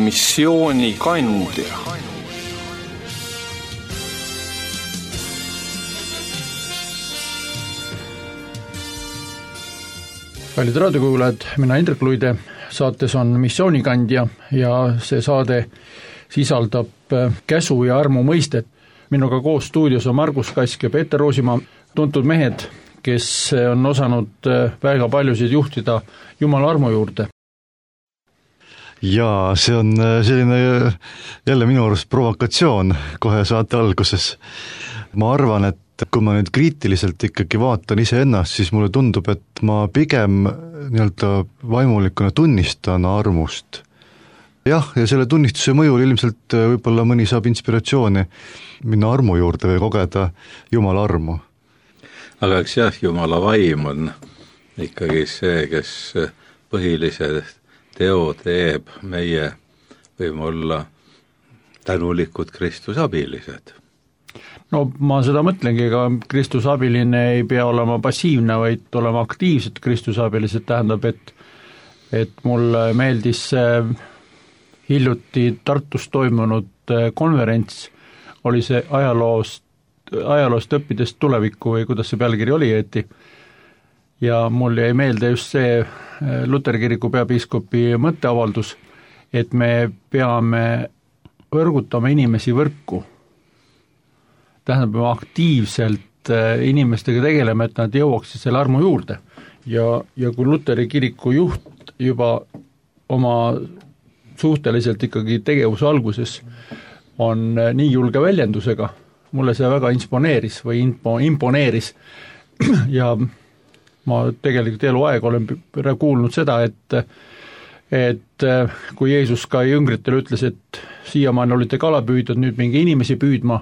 missioonikandja. Kallid raadiokuulajad, mina Indrek Luide, saates on missioonikandja ja see saade sisaldab käsu ja armu mõistet. Minuga koos stuudios on Margus Kask ja Peeter Roosimaa, tuntud mehed, kes on osanud väga paljusid juhtida Jumala armu juurde. Ja see on selline jälle minu arust provokatsioon kohe saate alguses. Ma arvan, et kui ma nüüd kriitiliselt ikkagi vaatan iseennast, siis mulle tundub, et ma pigem vaimulikuna tunnistan armust. Jah, ja selle tunnistuse mõjul ilmselt võib-olla mõni saab inspiratsiooni minna armu juurde või kogeda Jumala armu. Aga eks jah, Jumala vaim on ikkagi see, kes põhilise teo teeb, meie võime olla tänulikud Kristuse abilised. No ma seda mõtlengi, ega Kristuse abiline ei pea olema passiivne, vaid olema aktiivsed Kristuse abilised, tähendab, et mulle meeldis hiljuti Tartus toimunud konverents, oli see ajaloost õppidest tulevikku või kuidas see pealkiri oli õieti, ja mul jäi meelde just see Luteri kiriku peapiiskopi mõtteavaldus, et me peame võrgutama inimesi võrku. Tähendab, me aktiivselt inimestega tegeleme, et nad jõuaksid selle armu juurde. Ja kui Luteri kiriku juht juba oma suhteliselt ikkagi tegevuse alguses on nii julge väljendusega, mulle see väga imponeeris ja ma tegelikult eluaeg olen kuulnud seda, et kui Jeesus ka jüngritele ütles, et siiamaani olite kalapüüdjad, nüüd mingi inimesi püüdma,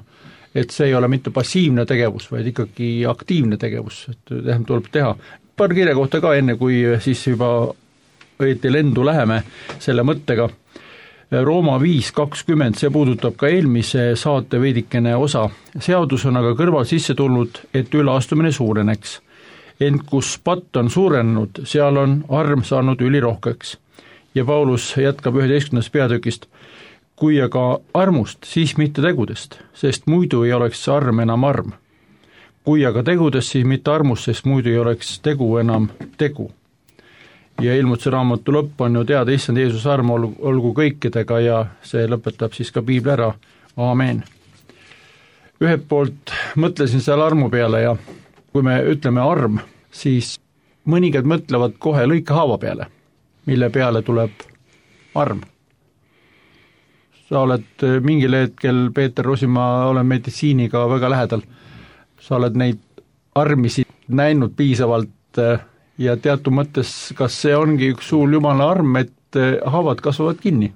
et see ei ole mitte passiivne tegevus, vaid ikkagi aktiivne tegevus, et tuleb teha. Paar kirja kohta ka enne, kui siis juba õieti lendu läheme selle mõttega. Rooma 5.20, see puudutab ka eelmise saate veidikene osa. Seadus on aga kõrval sisse tulnud, et üleastumine suureneks. Ent kus patt on suurenenud, seal on arm saanud ülirohkeks. Ja Paulus jätkab 11. peatükist. Kui aga armust, siis mitte tegudest, sest muidu ei oleks arm enam arm. Kui aga tegudest, siis mitte armust, sest muidu ei oleks tegu enam tegu. Ja Ilmutuse raamatu lõpp on ju teada, issand Jeesus arm olgu kõikidega ja see lõpetab siis ka piibli ära. Aamen. Ühelt poolt mõtlesin seal armu peale ja kui me ütleme arm, siis mõningad mõtlevad kohe lõikehaava peale, mille peale tuleb arm. Sa oled mingil hetkel, Peeter Roosimaa, olen meditsiiniga väga lähedal. Sa oled neid armisid näinud piisavalt ja teatud mõttes, kas see ongi üks suur Jumala arm, et haavad kasvavad kinni?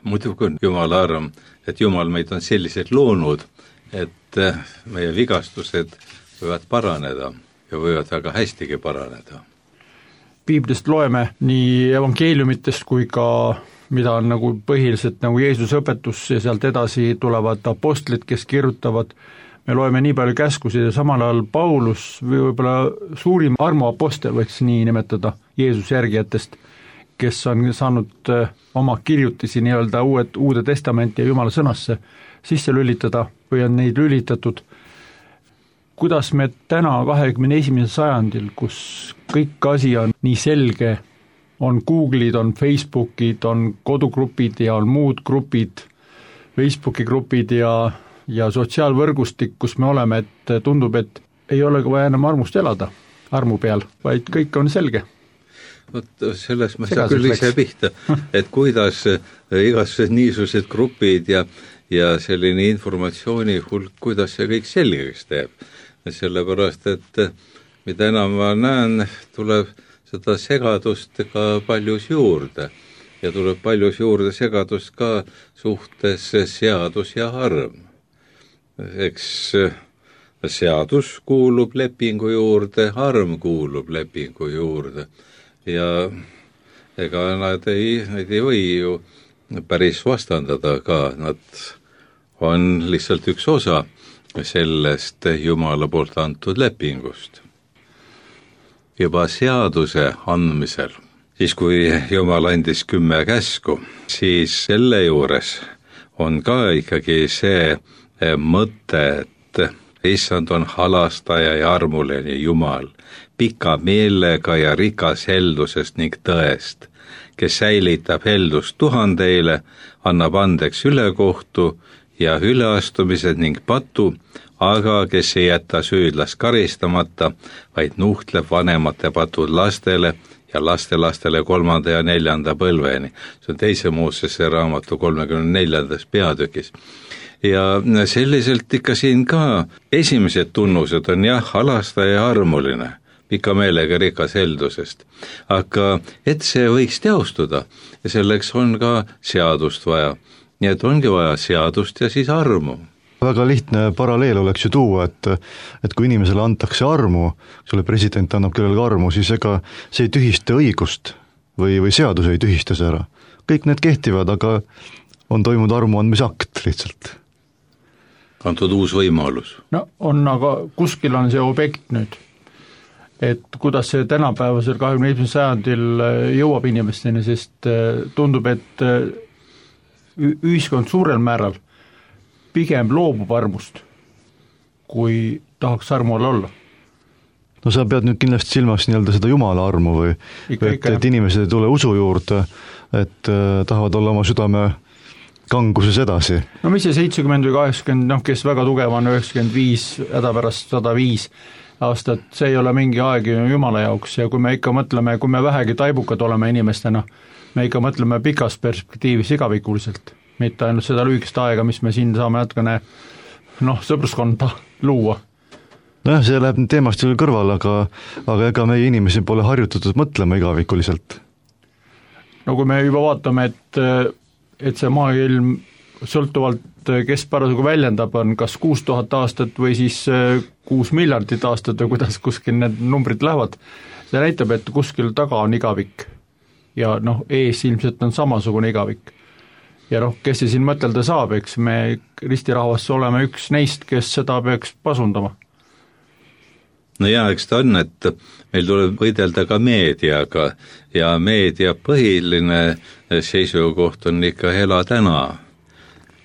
Muidugi on Jumala arm, et Jumal meid on selliselt loonud, et meie vigastused võivad paraneda ja võivad väga hästigi paraneda. Piiblist loeme nii evangeeliumitest kui ka mida on nagu põhiliselt nagu Jeesuse õpetus ja sealt edasi tulevad apostlid, kes kirjutavad, me loeme nii palju käskusid ja samal ajal Paulus või võib-olla suurim armuapostel võiks nii nimetada Jeesuse järgijatest, kes on saanud oma kirjutisi nii-öelda uude testamenti ja Jumala sõnasse sisse lülitada või on neid lülitatud. Kuidas me täna 21. sajandil, kus kõik asi on nii selge, on Google'id, on Facebookid, on kodugrupid ja on muud grupid, Facebooki grupid ja sotsiaalvõrgustik, kus me oleme, et tundub, et ei ole vaja enam armust elada armu peal, vaid kõik on selge. Vot selles ma saa küll ise pihta, et kuidas igasugused niisugused grupid ja selline informatsiooni hulk, kuidas see kõik selgeks teeb. Sellepärast, et mida enam ma näen, tuleb seda segadust ka paljus juurde ja tuleb paljus juurde segadust ka suhtes seadus ja arm. Eks seadus kuulub lepingu juurde, arm kuulub lepingu juurde ja ega nad ei või ju päris vastandada ka, nad on lihtsalt üks osa sellest Jumala poolt antud lepingust. Juba seaduse andmisel siis kui Jumal andis 10 käsku, siis selle juures on ka ikkagi see mõte, et issand on halastaja ja armuline Jumal, pika meelega ja rikas heldusest ning tõest, kes säilitab heldust tuhandeile, annab andeks ülekohtu ja üleastumised ning patu, aga kes ei jäta süüdlast karistamata, vaid nuhtleb vanemate patud lastele ja lastelastele 3. ja 4. põlveni. See on 2. Moosese raamatu 34. peatükis. Ja selliselt ikka siin ka esimesed tunnused on jah, halastaja ja armuline, pika meelega rikas heldusest. Aga et see võiks teostuda ja selleks on ka seadust vaja. Nii et ongi vaja seadust ja siis armu. Väga lihtne paralleel oleks ju tuua, et kui inimesele antakse armu, sulle president annab kellelegi armu, siis ega see ei tühista õigust või seadus ei tühista see ära. Kõik need kehtivad, aga on toimunud armu andmise akt lihtsalt. Antud uus võimalus. No on, aga kuskil on see objekt nüüd, et kuidas see tänapäevasel 21. sajandil jõuab inimesteni, sest tundub, et ühiskond suurel määral pigem loobub armust, kui tahaks armu all olla. No sa pead nüüd kindlasti silmas nii-öelda seda Jumala armu või et inimesed ei tule usu juurde, et tahavad olla oma südame kanguses edasi. No mis see 70 või 80, kes väga tugev on 95, hädapärast 105 aastat, see ei ole mingi aeg Jumala jaoks ja kui me ikka mõtleme, kui me vähegi taibukad oleme inimestena, me ikka mõtleme pikas perspektiivis igavikuliselt, mitte ainult seda lühikest aega, mis me siin saame natukene sõpruskonda luua. Nojah, see läheb teemast küll kõrval, aga ega meie inimesi pole harjutatud mõtlema igavikuliselt. No kui me juba vaatame, et see maailm sõltuvalt, kes parasjagu väljendab, on kas 6000 aastat või siis 6 miljardit aastat või kuidas kuskil need numbrid lähevad, see näitab, et kuskil taga on igavik ja ees ilmselt on samasugune igavik. Ja kes see siin mõtelda saab, eks me ristirahvas oleme üks neist, kes seda peaks pasundama. No jaa, eks ta on, et meil tuleb võidelda ka meediaga ja meedia põhiline seisukoht on ikka ela täna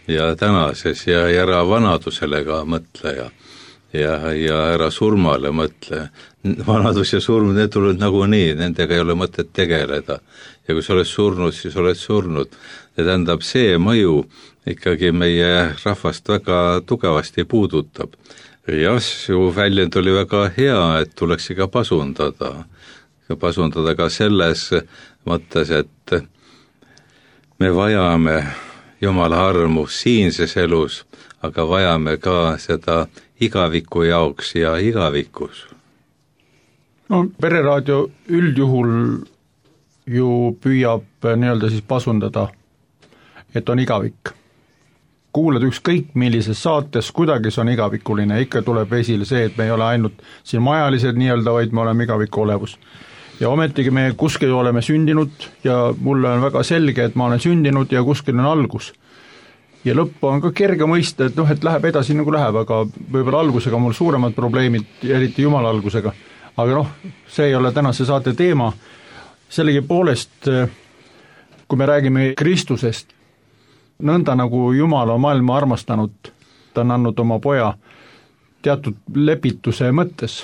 ja tänases ja ära vanadusele ka mõtle ja ära surmale mõtle. Vanadus ja surm, need tulevad nagunii, nendega ei ole mõtet tegeleda. Ja kui sa oled surnud, siis oled surnud. Ja tähendab, see mõju ikkagi meie rahvast väga tugevasti puudutab. Jah, su väljend oli väga hea, et tuleks ikka pasundada. Pasundada ka selles mõttes, et me vajame Jumala armu siinses elus, aga vajame ka seda igaviku jaoks ja igavikus. No Pereraadio üldjuhul ju püüab nii-öelda siis pasundada, et on igavik. Kuulad ükskõik millises saates, kuidagi see on igavikuline, ikka tuleb esile see, et me ei ole ainult siin majalised nii-öelda, vaid me oleme igaviku olevus. Ja ometigi me kuskil oleme sündinud ja mulle on väga selge, et ma olen sündinud ja kuskil on algus. Ja lõppu on ka kerge mõista, et läheb edasi nagu läheb, aga võib-olla algusega mul suuremad probleemid, eriti Jumala algusega. Aga see ei ole tänase saate teema. Sellegi poolest, kui me räägime Kristusest, nõnda nagu Jumal on maailma armastanud, ta on andnud oma poja teatud lepituse mõttes.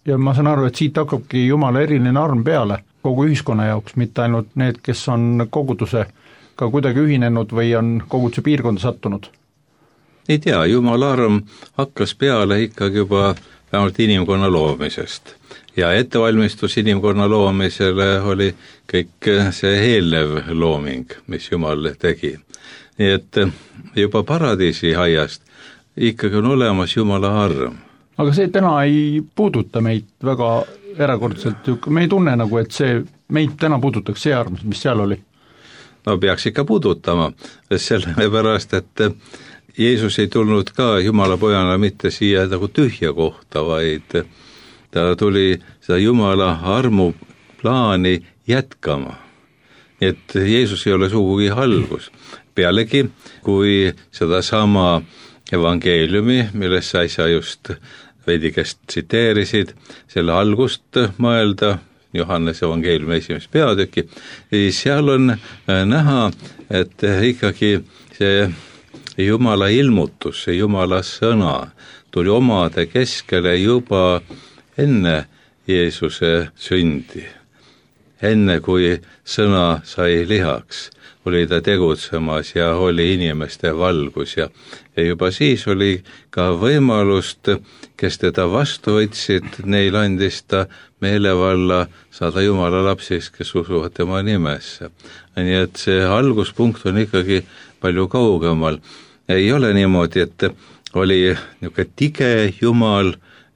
Ja ma saan aru, et siit hakkabki Jumala eriline arm peale kogu ühiskonna jaoks, mitte ainult need, kes on koguduse ka kuidagi ühinenud või on koguduse piirkonda sattunud. Ei tea, Jumala arm hakkas peale ikkagi juba vähemalt inimkonna loomisest. Ja ettevalmistus inimkonna loomisele oli kõik see eelnev looming, mis Jumal tegi. Nii et juba paradiisi aiast ikkagi on olemas Jumala arm. Aga see täna ei puuduta meid väga erakordselt, me ei tunne nagu, et see meid täna puudutaks see arm, mis seal oli. No peaks ikka puudutama, sellepärast, et Jeesus ei tulnud ka Jumala pojana mitte siia nagu tühja kohta, vaid ta tuli seda Jumala armu plaani jätkama. Nii et Jeesus ei ole sugugi algus. Pealegi, kui seda sama evangeeliumi, millest sa just veidikest tsiteerisid, selle algust mõelda, Johannese evangeeliumi 1. peatüki, seal on näha, et ikkagi see Jumala ilmutus, see Jumala sõna tuli omade keskele juba enne Jeesuse sündi. Enne kui sõna sai lihaks, oli ta tegutsemas ja oli inimeste valgus ja juba siis oli ka võimalust, kes teda vastu võtsid, neil andis ta meelevalla saada Jumala lapsist, kes usuvad tema nimesse. Nii et see alguspunkt on ikkagi palju kaugemal. Ei ole niimoodi, et oli niisugune tige Jumal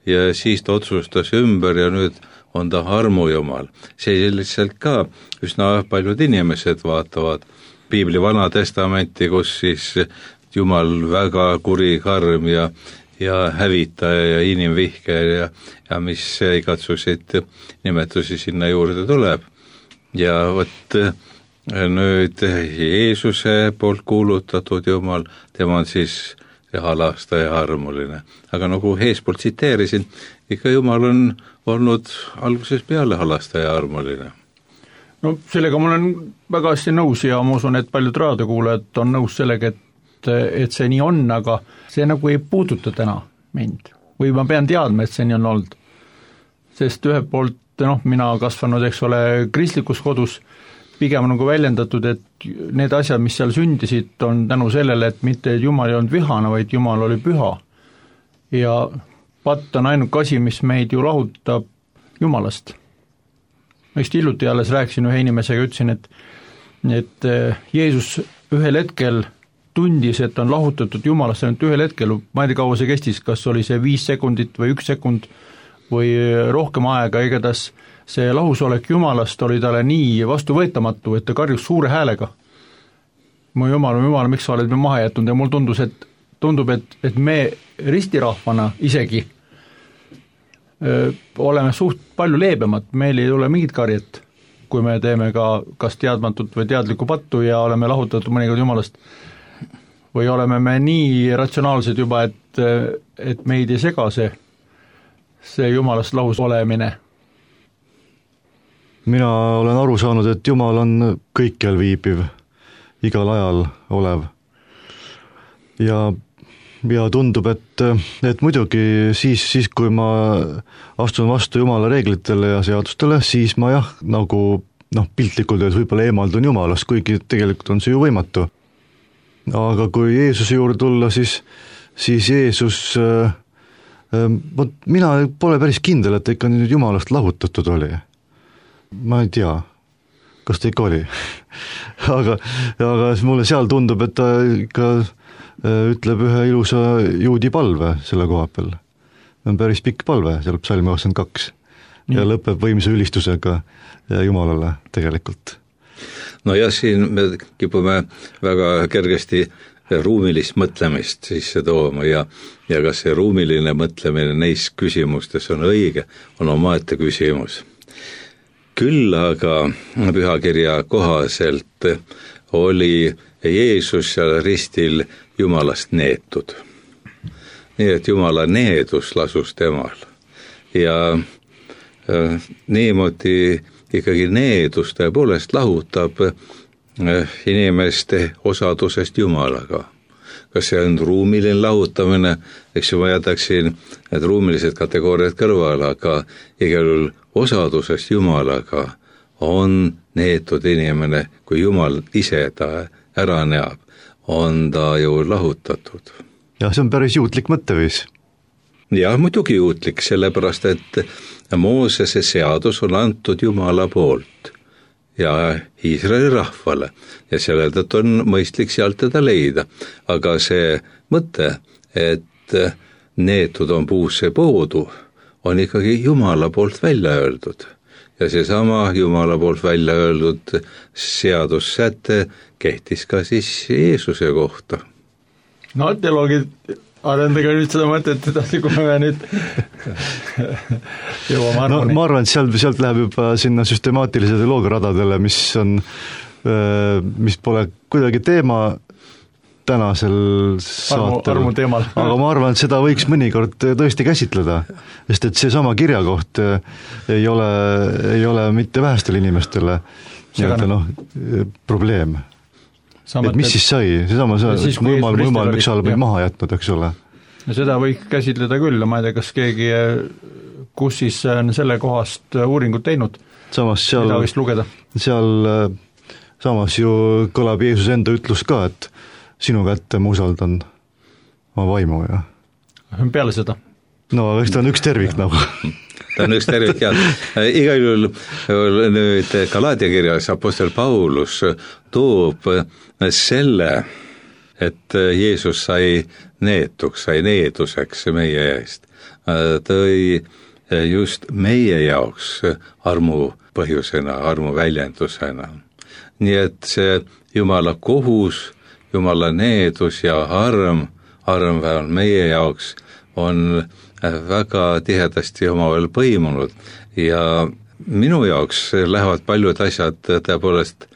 ja siis ta otsustas ümber ja nüüd on ta armujumal. See lihtsalt ka üsna paljud inimesed vaatavad Piibli Vana Testamenti, kus siis Jumal väga kuri, karm ja hävitaja ja inimvihker ja mis igatsusid nimetusi sinna juurde tuleb. Ja võt nüüd Jeesuse poolt kuulutatud Jumal, tema on siis halastaja ja armuline. Aga nagu eespoolt tsiteerisin, ikka Jumal on olnud algusest peale halastaja ja armuline. No sellega ma olen väga hästi nõus ja ma usun, et paljud raadiokuulajad on nõus sellega, et see nii on, aga see nagu ei puuduta täna mind. Või ma pean teadma, et see nii on olnud. Sest ühelt poolt, mina kasvanud, eks ole, kristlikus kodus, pigem nagu väljendatud, et need asjad, mis seal sündisid, on tänu sellele, et mitte Jumal ei olnud vihane, vaid Jumal oli püha. Ja patt on ainuke asi, mis meid ju lahutab Jumalast. Ma just hiljuti alles rääkisin ühe inimesega, ütlesin, et Jeesus ühel hetkel tundis, et on lahutatud Jumalast, ainult ühel hetkel, ma ei tea, kaua see kestis, kas oli see 5 sekundit või 1 sekund või rohkem aega, igatahes see lahusolek Jumalast oli talle nii vastuvõetamatu, et ta karjus suure häälega. Mu Jumal, miks sa oled me maha jätnud ja mul tundub, et me ristirahvana isegi oleme suht palju leebemad, meil ei ole mingit karjet, kui me teeme ka kas teadmatut või teadlikku pattu ja oleme lahutatud mõnikord Jumalast. Või oleme me nii ratsionaalsed juba, et meid ei sega see Jumalast lahus olemine. Mina olen aru saanud, et Jumal on kõikjal viibiv, igal ajal olev. Ja tundub, et muidugi siis, kui ma astun vastu Jumala reeglitele ja seadustele, siis ma nagu piltlikult öeldes võib-olla eemaldun Jumalast, kuigi tegelikult on see ju võimatu. Aga kui Jeesuse juurde tulla, siis Jeesus, mina pole päris kindel, et ikka nüüd Jumalast lahutatud oli. Ma ei tea, kas ta ikka oli. aga mulle seal tundub, et ta ikka ütleb ühe ilusa juudi palve selle koha peal. On päris pikk palve, seal psalmi 82 ja lõpeb võimsa ülistusega Jumalale tegelikult. No ja siin me kipume väga kergesti ruumilist mõtlemist sisse tooma ja kas see ruumiline mõtlemine neis küsimustes on õige, on omaette küsimus. Küll aga pühakirja kohaselt oli Jeesus seal ristil Jumalast neetud. Nii et Jumala needus lasus temal. Ja niimoodi ikkagi needus tõepoolest lahutab inimeste osadusest Jumalaga. Kas see on ruumiline lahutamine, eks ju ma jätaksin need ruumilised kategooriad kõrvale, aga igal juhul osadusest Jumalaga on neetud inimene, kui Jumal ise ta ära näeb, on ta ju lahutatud. Ja see on päris juutlik mõtteviis. Ja muidugi juutlik, sellepärast, et Moosese seadus on antud Jumala poolt ja Iisraeli rahvale ja sellelt on mõistlik sealt teda leida. Aga see mõte, et neetud on puusse poodu, on ikkagi Jumala poolt välja öeldud. Ja seesama Jumala poolt välja öeldud seadussäte kehtis ka siis Jeesuse kohta. No teoloogid arendage nüüd seda mõtet edasi, kui me nüüd jõuame arvani. Ma arvan, et sealt läheb juba sinna süstemaatilise teoloogia radadele, mis pole kuidagi teema tänasel saatel, aga ma arvan, et seda võiks mõnikord tõesti käsitleda, sest et seesama kirjakoht ei ole mitte vähestele inimestele probleem. Et mis siis sai, seesama mõjumal miks sa oled maha jätnud, eks ole. Ja seda võiks käsitleda küll, ma ei tea, kas keegi, kus siis on selle kohast uuringut teinud, mida võiks lugeda. Seal samas ju kõlab Jeesus enda ütlus ka, et sinu kätte ma usaldan oma vaimu, ja. Peale seda. No, eks ta on üks tervik nagu. Ta on üks tervik, ja igal juhul nüüd Galaatia kirjas apostel Paulus toob selle, et Jeesus sai needuseks meie eest. Tõi just meie jaoks armu põhjusena, armu väljendusena. Nii et see Jumala kohus, Jumala needus ja arm vähemalt meie jaoks on väga tihedasti omavahel põimunud ja minu jaoks lähevad paljud asjad tõepoolest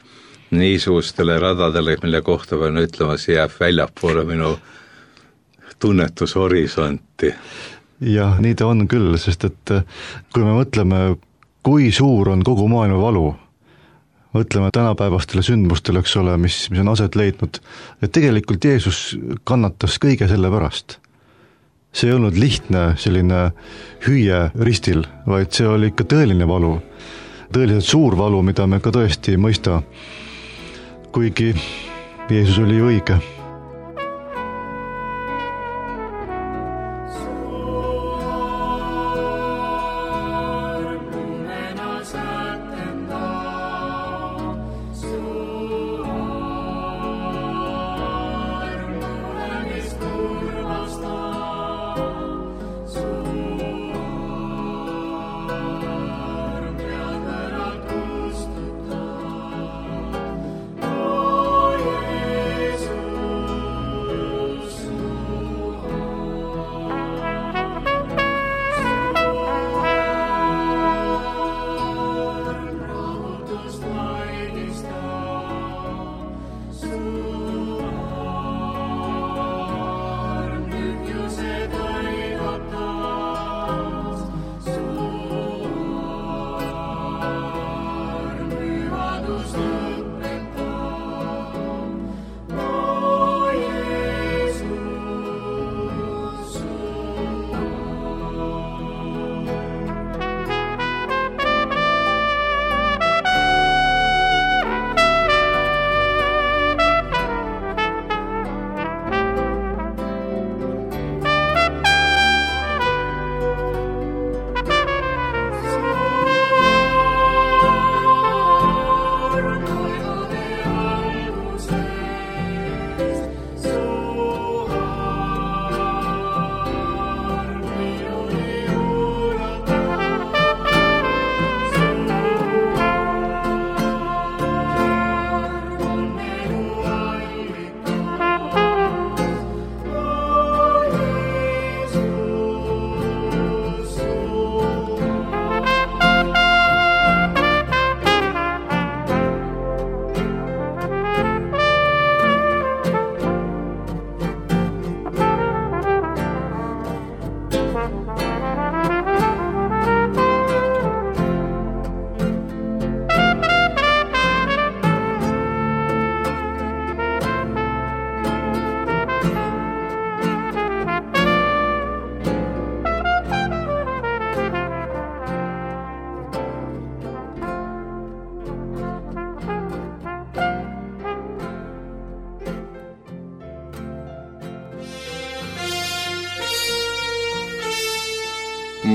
niisugustele radadele, mille kohta pean ütlema, see jääb väljapoole minu tunnetushorisonti. Jah, nii ta on küll, sest et kui me mõtleme, kui suur on kogu maailma valu, mõtleme tänapäevastele sündmustele, eks ole, mis on aset leidnud, et tegelikult Jeesus kannatas kõige selle pärast. See ei olnud lihtne selline hüüe ristil, vaid see oli ikka tõeline valu, tõeliselt suur valu, mida me ka tõesti ei mõista, kuigi Jeesus oli õige.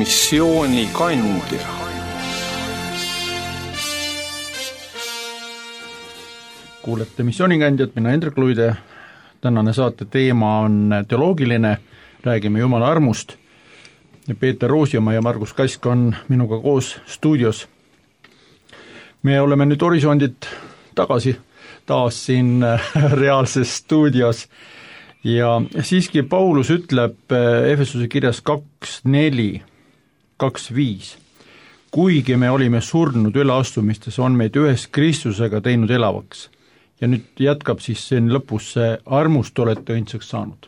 Missiooni kandja. Kuulete missioonikandjat, mina Hendrik Luide. Tänane saate teema on teoloogiline, räägime Jumala armust. Peeter Roosimaa ja Margus Kask on minuga koos stuudios. Me oleme nüüd horisondit tagasi taas siin reaalses stuudios ja siiski Paulus ütleb Efesuse kirjas 2:4, 2:5. Kuigi me olime surnud üleastumistes, on meid ühes Kristusega teinud elavaks ja nüüd jätkab siis siin lõpus see armust olete õndsaks saanud.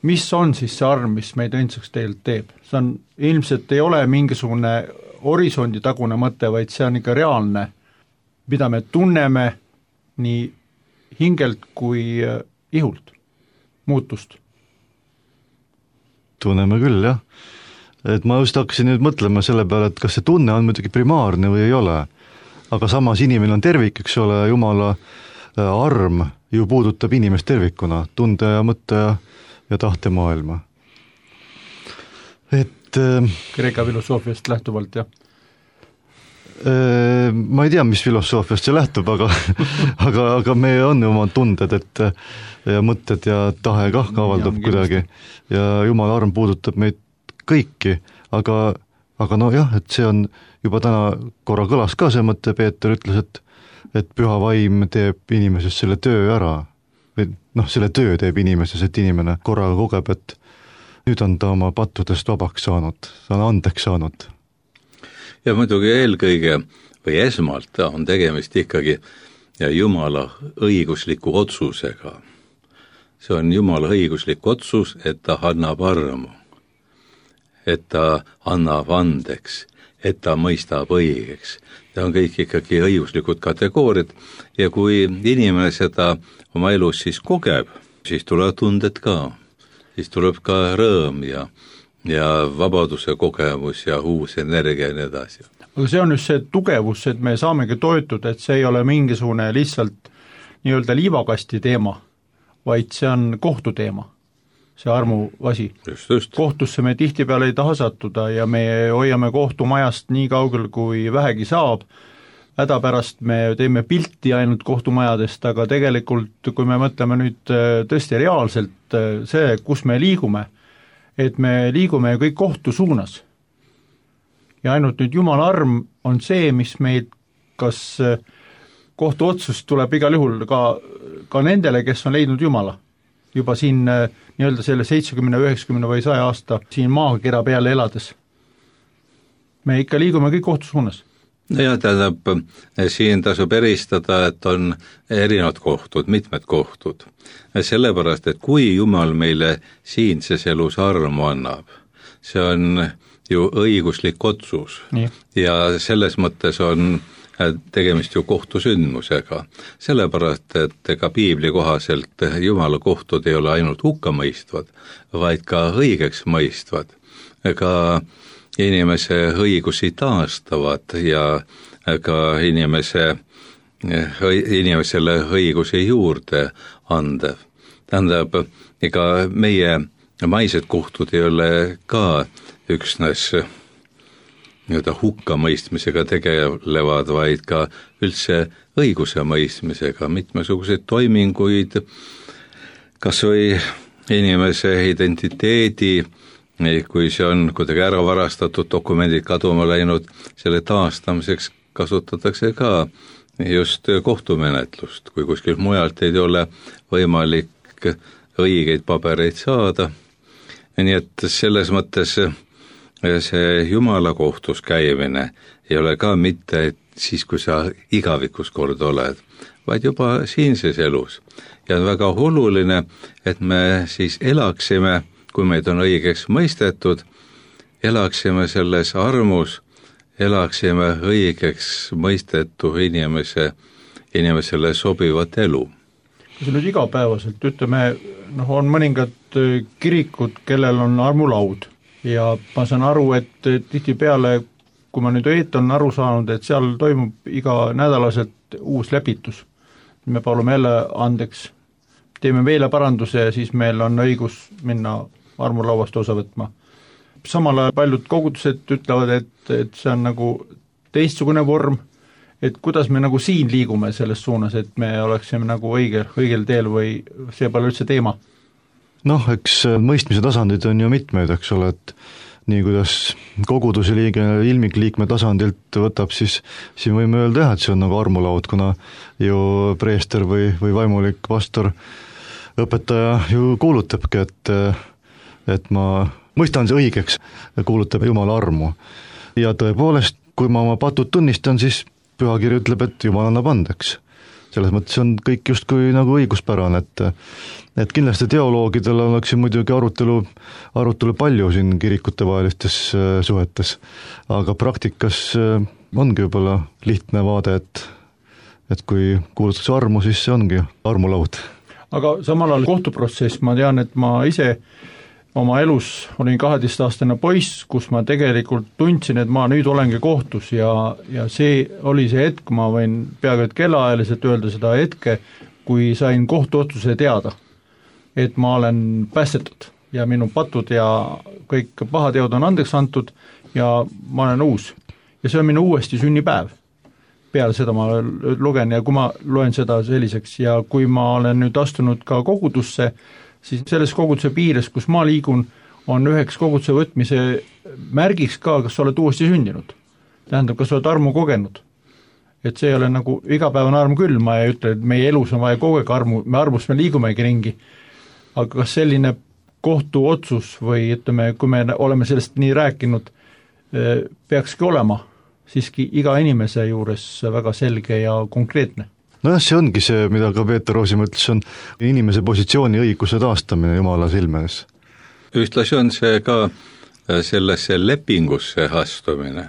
Mis on siis see arm, mis meid õndsaks tegelikult teeb? See on, ilmselt ei ole mingisugune horisonditagune mõte, vaid see on ikka reaalne, mida me tunneme nii hingelt kui ihult, muutust. Tunneme küll, jah. Et ma just hakkasin nüüd mõtlema selle peale, et kas see tunne on muidugi primaarne või ei ole. Aga samas inimene on tervik, eks ole, Jumala arm ju puudutab inimest tervikuna, tunde ja mõtte ja tahtemaailma. Et Kreeka filosoofiast lähtuvalt, jah? Ma ei tea, mis filosoofiast see lähtub, aga me on ju oma tunded, et ja mõtted ja tahe kah avaldab kuidagi ja Jumala arm puudutab meid kõiki, aga no jah, et see on juba täna korra kõlas ka see mõte, Peeter ütles, et püha vaim teeb inimeses selle töö ära, või selle töö teeb inimeses, et inimene korraga kogeb, et nüüd on ta oma pattudest vabaks saanud, ta on andeks saanud. Ja muidugi eelkõige või esmalt on tegemist ikkagi Jumala õigusliku otsusega. See on Jumala õiguslik otsus, et ta annab armu, et ta annab andeks, et ta mõistab õigeks. Ta on kõik ikkagi õiguslikud kategooriad ja kui inimene seda oma elus siis kogeb, siis tuleb tunded ka, siis tuleb ka rõõm ja vabaduse kogemus ja uus energia ja nii edasi. Aga see on just see tugevus, et me saamegi toetuda, et see ei ole mingisugune lihtsalt nii-öelda liivakasti teema, vaid see on kohtuteema, see armu asi. Just. Kohtusse me tihtipeale ei taha sattuda ja me hoiame kohtumajast nii kaugel, kui vähegi saab. Hädapärast me teeme pilti ainult kohtumajadest, aga tegelikult, kui me mõtleme nüüd tõesti reaalselt see, kus me liigume, et me liigume kõik kohtu suunas. Ja ainult nüüd Jumala arm on see, mis meid, kas kohtuotsus tuleb igal juhul ka nendele, kes on leidnud Jumala. Juba siin nii-öelda selle 70, 90 või 100 aasta siin maakera peale elades. Me ikka liigume kõik kohtu suunas. Ja tähendab, siin tasub eristada, et on erinevad kohtud, mitmed kohtud. Sellepärast, et kui Jumal meile siinses elus armu annab, see on ju õiguslik otsus. Nii. Ja selles mõttes on tegemist ju kohtusündmusega. Sellepärast, et ega piibli kohaselt Jumala kohtud ei ole ainult hukkamõistvad, vaid ka õigeks mõistvad. Ega inimese õigusi taastavad ja ka inimesele õigusi juurde andev. Tähendab, ega meie maised kohtud ei ole ka üksnes hukkamõistmisega tegelevad, vaid ka üldse õiguse mõistmisega, mitmesuguseid toiminguid, kas või inimese identiteedi, kui see on kuidagi ära varastatud, dokumendid kaduma läinud, selle taastamiseks kasutatakse ka just kohtumenetlust, kui kuskil mujalt ei ole võimalik õigeid pabereid saada. Nii et selles mõttes see Jumala kohtus käimine ei ole ka mitte siis, kui sa igavikus kord oled, vaid juba siinses elus. Ja on väga oluline, et me siis elaksime, kui meid on õigeks mõistetud, elaksime selles armus, elaksime õigeks mõistetu inimesele sobivat elu. See nüüd igapäevaselt, ütleme, on mõningad kirikud, kellel on armulaud ja ma saan aru, et tihtipeale, kui ma nüüd on aru saanud, et seal toimub iga nädalaselt uus lepitus. Me palume jälle andeks, teeme meile paranduse ja siis meil on õigus minna armulauast osa võtma. Samal ajal paljud kogudused ütlevad, et see on nagu teistsugune vorm, et kuidas me nagu siin liigume selles suunas, et me oleksime nagu õigel teel või see pole üldse teema? Eks mõistmise tasandid on ju mitmeid, eks ole, et nii kuidas koguduse liige ilmikliikme tasandilt võtab, siis siin võime öelda, et see on nagu armulaud, kuna ju preester või vaimulik pastor, õpetaja ju kuulutabki, et ma mõistan see õigeks, kuulutab Jumala armu. Ja tõepoolest, kui ma oma patud tunnistan, siis pühakiri ütleb, et Jumal annab andeks. selles mõttes on kõik justkui nagu õiguspärane, et kindlasti teoloogidel oleks siin muidugi arutelu palju siin kirikutevahelistes suhetes, aga praktikas ongi võib-olla lihtne vaade, et kui kuulutatakse armu, siis see ongi armulaud. Aga samal ajal kohtuprotsess, ma tean, et ma ise oma elus olin 12-aastane poiss, kus ma tegelikult tundsin, et ma nüüd olengi kohtus ja see oli see hetk, ma võin peaaegu et kellaajaliselt öelda seda hetke, kui sain kohtuotsuse teada, et ma olen päästetud ja minu patud ja kõik pahateod on andeks antud ja ma olen uus. Ja see on minu uuesti sünnipäev. Peale seda ma lugen ja kui ma loen seda selliseks ja kui ma olen nüüd astunud ka kogudusse, siis selles koguduse piires, kus ma liigun, on üheks koguduse võtmise märgiks ka, kas sa oled uuesti sündinud. Tähendab, kas sa oled armu kogenud. Et see ei ole nagu igapäevane arm küll, ma ei ütle, et meie elus on vaja kogu aeg armus me liigumegi ringi. Aga kas selline kohtuotsus või ütleme, kui me oleme sellest nii rääkinud, peakski olema siiski iga inimese juures väga selge ja konkreetne? Nojah, see ongi see, mida ka Peeter Roosi mõtles, on inimese positsiooni õiguse taastamine Jumala silmes. Ühtlasi on see ka sellesse lepingusse astumine.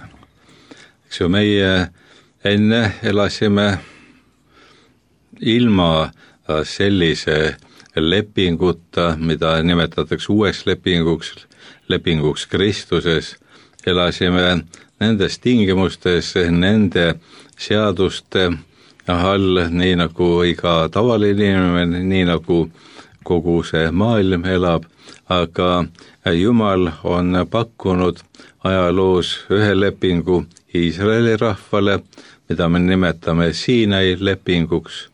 Eks ju, meie enne elasime ilma sellise lepinguta, mida nimetatakse uueks lepinguks Kristuses, elasime nendes tingimustes, nende seaduste all, nii nagu iga tavaline inimene, nii nagu kogu see maailm elab, aga Jumal on pakkunud ajaloos ühe lepingu Iisraeli rahvale, mida me nimetame Siinai lepinguks,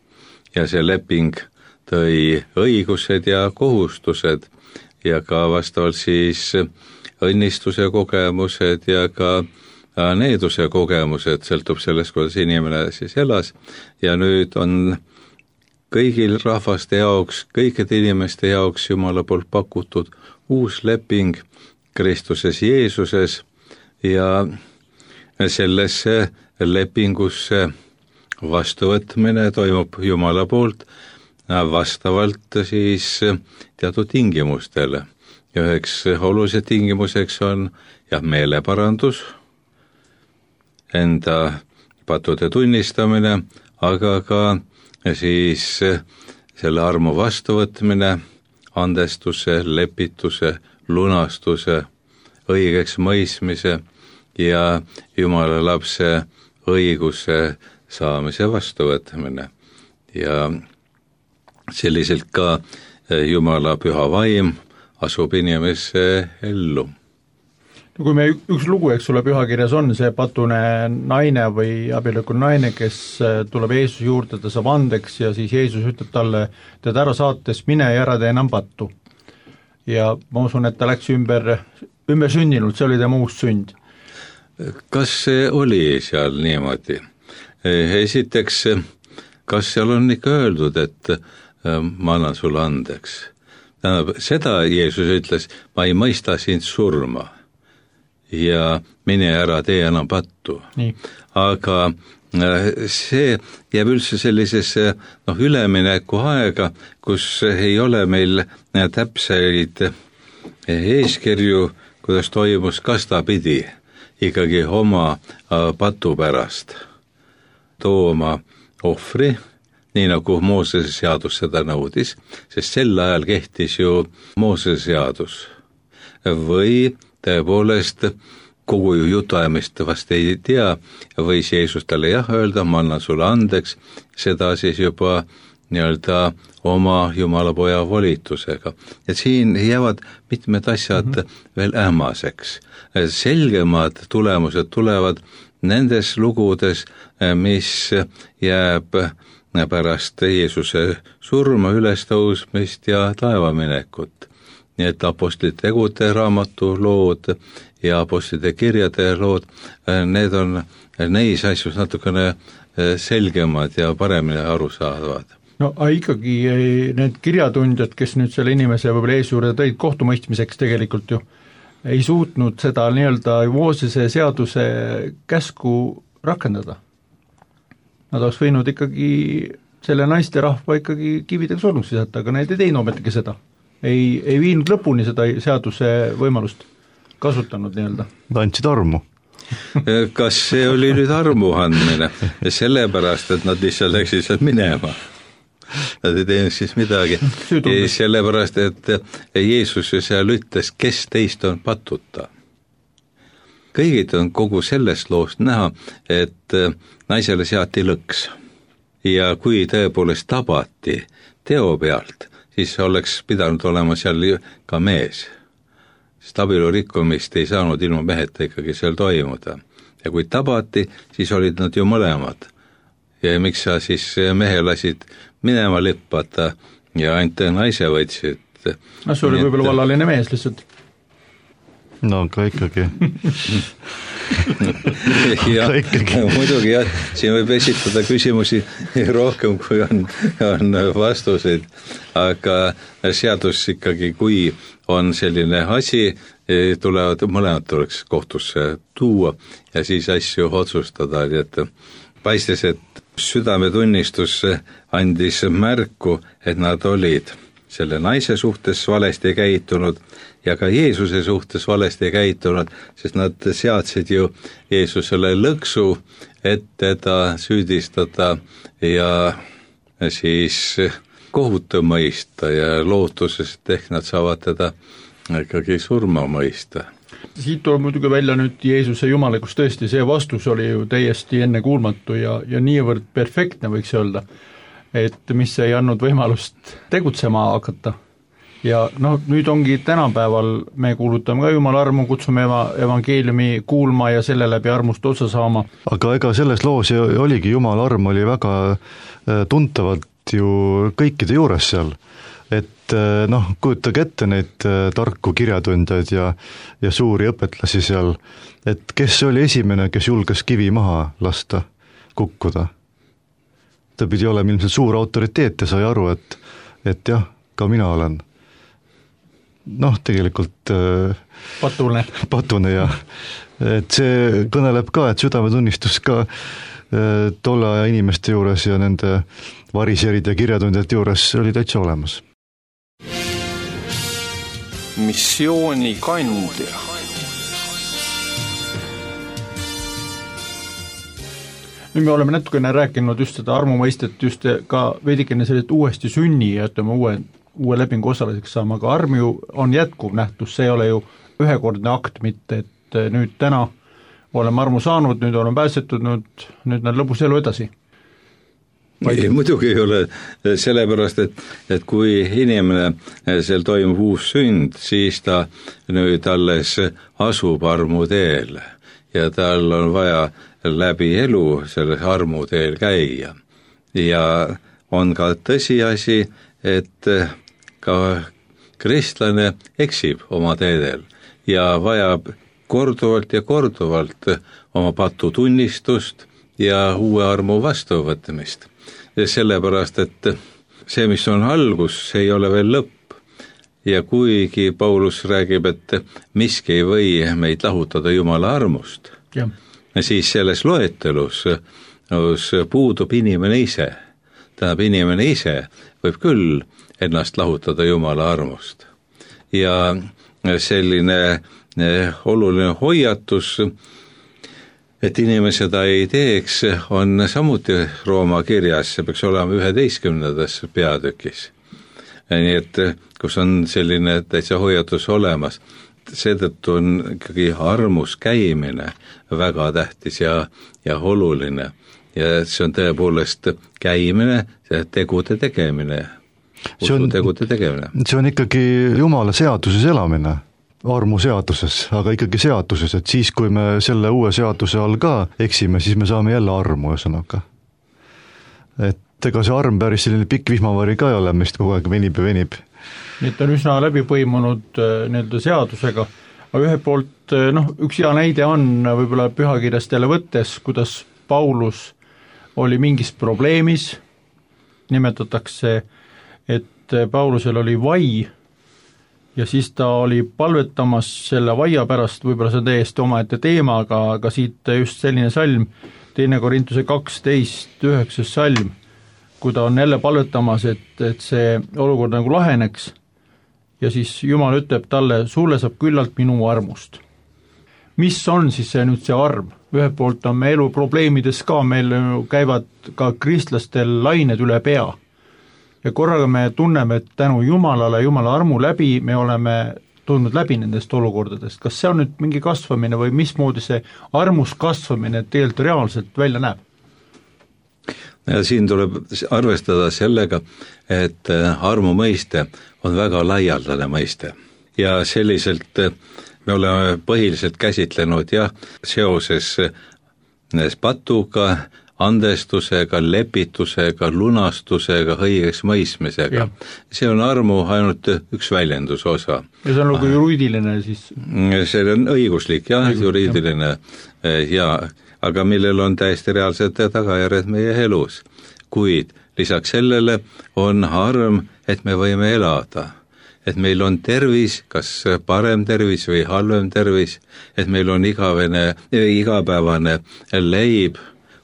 ja see leping tõi õigused ja kohustused ja ka vastavalt siis õnnistuse kogemused ja ka needuse kogemused, sõltub sellest, kuidas inimene siis elas, ja nüüd on kõigil rahvaste jaoks, kõikide inimeste jaoks Jumala poolt pakutud uus leping Kristuses Jeesuses ja sellesse lepingusse vastuvõtmine toimub Jumala poolt vastavalt siis teatud tingimustele. Ja üheks olulised tingimuseks on meeleparandus, enda patude tunnistamine, aga ka siis selle armu vastuvõtmine, andestuse, lepituse, lunastuse, õigeks mõistmise ja Jumala lapse õiguse saamise vastuvõtmine. Ja selliselt ka Jumala püha vaim asub inimesse ellu. Kui me üks lugu, eks ole, pühakirjas on see patune naine või abiellunud naine, kes tuleb Jeesuse juurde, ta saab andeks ja siis Jeesus ütleb talle, teda ära saates, mine ja ära tee enam pattu. Ja ma usun, et ta läks ümber sündinud, see oli tema uus sünd. Kas see oli seal niimoodi? Esiteks, kas seal on ikka öeldud, et ma annan sulle andeks? Seda Jeesus ütles, ma ei mõista sind surma ja mine ära tee enam pattu. Nii. Aga see jääb üldse sellisesse ülemineku aega, kus ei ole meil täpseid eeskirju, kuidas toimus, kas ta pidi ikkagi oma patu pärast tooma ohvri, nii nagu Moosese seadus seda nõudis, sest sel ajal kehtis ju Moosese seadus. Või tõepoolest kogu jutuajamist vast ei tea, võis Jeesus talle öelda, ma annan sulle andeks, seda siis juba nii-öelda oma Jumala poja volitusega. Ja siin jäävad mitmed asjad veel ähmaseks. Selgemad tulemused tulevad nendes lugudes, mis jääb pärast Jeesuse surma, ülestõusmist ja taevaminekut. Nii et apostlite tegude raamatu lood ja apostlite kirjade lood, need on neis asjus natukene selgemad ja paremini aru saavad. No ikkagi need kirjatundjad, kes nüüd selle inimese võib-olla ees juurde tõid kohtumõistmiseks tegelikult ju, ei suutnud seda nii-öelda Moosese seaduse käsku rakendada. Nad oleks võinud ikkagi selle naisterahva ikkagi kividega surnuks visata, aga need ei teinud ometigi seda. Ei viinud lõpuni seda seaduse võimalust kasutanud nii-öelda. Andsid armu. Kas see oli nüüd armu andmine? Sellepärast, et nad lihtsalt läksid sealt minema. Nad ei teinud siis midagi. Sellepärast, et Jeesus seal ütles, kes teist on patuta. Kõigid on kogu sellest loost näha, et naisele seati lõks. Ja kui tõepoolest tabati teo pealt, siis oleks pidanud olema seal ka mees. Sest abielu rikkumist ei saanud ilma meheta ikkagi seal toimuda. Ja kui tabati, siis olid nad ju mõlemad. Ja miks sa siis mehe lasid minema lippata ja ainult naise võtsid? See oli võib-olla vallaline mees lihtsalt. No aga ikkagi. Ja, muidugi jah, siin võib esitada küsimusi rohkem, kui on vastuseid, aga seadus ikkagi, kui on selline asi, mõlemad tuleks kohtusse tuua ja siis asju otsustada, nii et paistes, et südametunnistus andis märku, et nad olid selle naise suhtes valesti käitunud ja ka Jeesuse suhtes valesti käitunud, sest nad seadsid ju Jeesusele lõksu, et teda süüdistada ja siis kohut mõista ja lootuses, et ehk nad saavad teda ikkagi surma mõista. Siit tuleb muidugi välja nüüd Jeesuse jumalikus, tõesti see vastus oli ju täiesti ennekuulmatu ja niivõrd perfektne võiks öelda, et mis ei andnud võimalust tegutsema hakata. Ja nüüd ongi tänapäeval, me kuulutame ka Jumala armu, kutsume evangeeliumi kuulma ja selle läbi armust otsa saama. Aga ega selles loos oligi Jumala arm oli väga tuntavalt ju kõikide juures seal. Et kujutage ette neid tarku kirjatundjaid ja suuri õpetlasi seal, et kes oli esimene, kes julges kivi maha lasta kukkuda. Ta pidi olema ilmselt suur autoriteet ja sai aru, et jah, ka mina olen. Tegelikult patune ja et see kõneleb ka, et südametunnistus ka tolle aja inimeste juures ja nende variseride kirjatundjate juures oli täitsa olemas. Missiooni kandja. Nüüd me oleme natukene rääkinud just seda armumõistet, just ka veidikene sellised uuesti sünni ja ütleme uue lepingu osaliseks saama, aga arm ju on jätkuv nähtus, see ei ole ju ühekordne akt, mitte et nüüd täna oleme armu saanud, nüüd oleme pääsetud, nüüd on lõbus elu edasi. Ei, muidugi ei ole, sellepärast, et kui inimene seal toimub uus sünd, siis ta nüüd alles asub armu teel ja tal on vaja läbi elu selles armu teel käia. Ja on ka tõsiasi, et ka kristlane eksib oma teedel ja vajab korduvalt ja korduvalt oma patu tunnistust ja uue armu vastuvõtmist. Sellepärast, et see, mis on algus, see ei ole veel lõpp. Ja kuigi Paulus räägib, et miski ei või meid lahutada Jumala armust, siis selles loetelus puudub inimene ise. Tähendab, inimene ise võib küll ennast lahutada Jumala armust. Ja selline oluline hoiatus, et inimene seda ei teeks, on samuti Rooma kirjas, see peaks olema 11. peatükis. Nii et kus on selline täitsa hoiatus olemas, seetõttu on ikkagi armus käimine väga tähtis ja oluline. Ja see on tõepoolest käimine, see tegude tegemine. See on ikkagi Jumala seaduses elamine, armu seaduses, aga ikkagi seaduses, et siis, kui me selle uue seaduse all ka eksime, siis me saame jälle armu ühesõnaga. Et ega see arm päris selline pikk vihmavari ka ei ole, mis kogu aeg venib ja venib. Nii et on üsna läbi põimunud nii-öelda seadusega, aga ühe poolt, üks hea näide on võib-olla pühakirjast jälle võttes, kuidas Paulus oli mingis probleemis, nimetatakse, et Paulusel oli vai ja siis ta oli palvetamas selle vaia pärast, võib-olla see on täiesti omaette teema, aga siit just selline salm, 2. Korintuse 12, 9. salm, kui ta on jälle palvetamas, et see olukord nagu laheneks ja siis Jumal ütleb talle, sulle saab küllalt minu armust. Mis on siis see nüüd see arm? Ühelt poolt on me elu probleemides ka, meil käivad ka kristlastel lained üle pea ja korraga me tunneme, et tänu Jumalale, Jumala armu läbi me oleme tulnud läbi nendest olukordadest. Kas see on nüüd mingi kasvamine või mismoodi see armus kasvamine tegelikult reaalselt välja näeb? Ja siin tuleb arvestada sellega, et armu mõiste on väga laialdane mõiste ja selliselt me oleme põhiliselt käsitlenud seoses patuga, andestusega, lepitusega, lunastusega, õigeks mõistmisega. See on armu ainult üks väljenduse osa. Ja see on nagu juriidiline siis? See on õiguslik, juriidiline aga millel on täiesti reaalsed tagajärjed meie elus. Kuid lisaks sellele on arm, et me võime elada. Et meil on tervis, kas parem tervis või halvem tervis, et meil on igapäevane leib,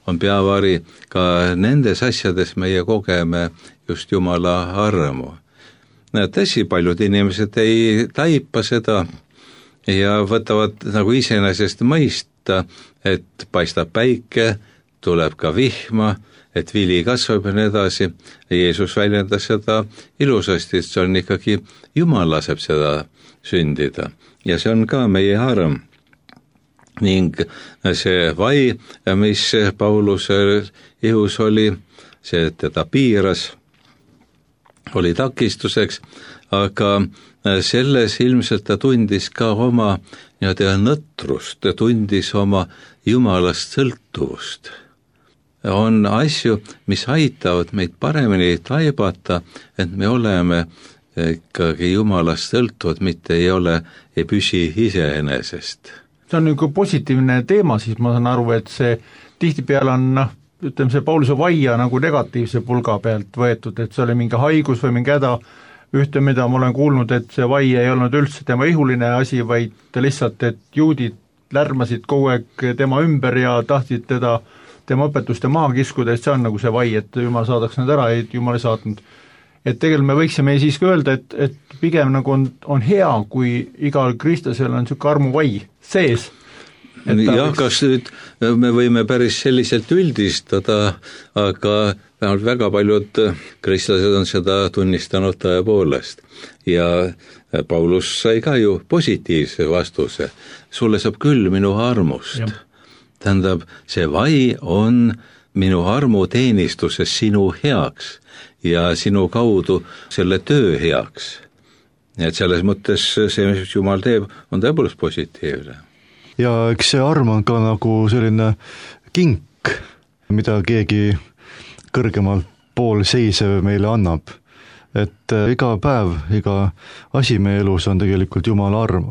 on peavari, ka nendes asjades meie kogeme just Jumala armu. Tõsi, paljud inimesed ei taipa seda ja võtavad nagu iseenesest mõista, et paistab päike, tuleb ka vihma, et vili kasvab ja nii edasi. Jeesus väljendas seda ilusasti, et see on ikkagi, Jumal laseb seda sündida ja see on ka meie arm. Ning see vai, mis Pauluse ihus oli, see teda piiras, oli takistuseks, aga selles ilmselt ta tundis ka oma nõtrust, ta tundis oma Jumalast sõltuvust. On asju, mis aitavad meid paremini taibata, et me oleme ikkagi Jumalast sõltuvad, mitte ei püsi iseenesest. See on nagu positiivne teema, siis ma saan aru, et see tihtipeale on, ütleme see Pauluse vaia nagu negatiivse pulga pealt võetud, et see oli mingi haigus või mingi häda, ühte, mida ma olen kuulnud, et see vai ei olnud üldse tema ihuline asi, vaid lihtsalt, et juudid lärmasid kogu aeg tema ümber ja tahtsid tema õpetuste maha kiskuda, et see on nagu see vai, et Jumal saadaks need ära, et Jumal ei saatnud. Et tegelikult me võiksime siiski öelda, et pigem nagu on hea, kui igal kristlasel on niisugune armuvai sees. Kas nüüd me võime päris selliselt üldistada, aga vähemalt väga paljud kristlased on seda tunnistanud tõepoolest. Ja Paulus sai ka ju positiivse vastuse. Sulle saab küll minu armust. Tähendab, see vai on minu armu teenistuses sinu heaks ja sinu kaudu selle töö heaks. Et selles mõttes see, mis Jumal teeb, on tõepoolest positiivne. Ja eks see arm on ka nagu selline kink, mida keegi kõrgemalt pool seisev meile annab. Et iga päev, iga asi meie elus on tegelikult Jumala arm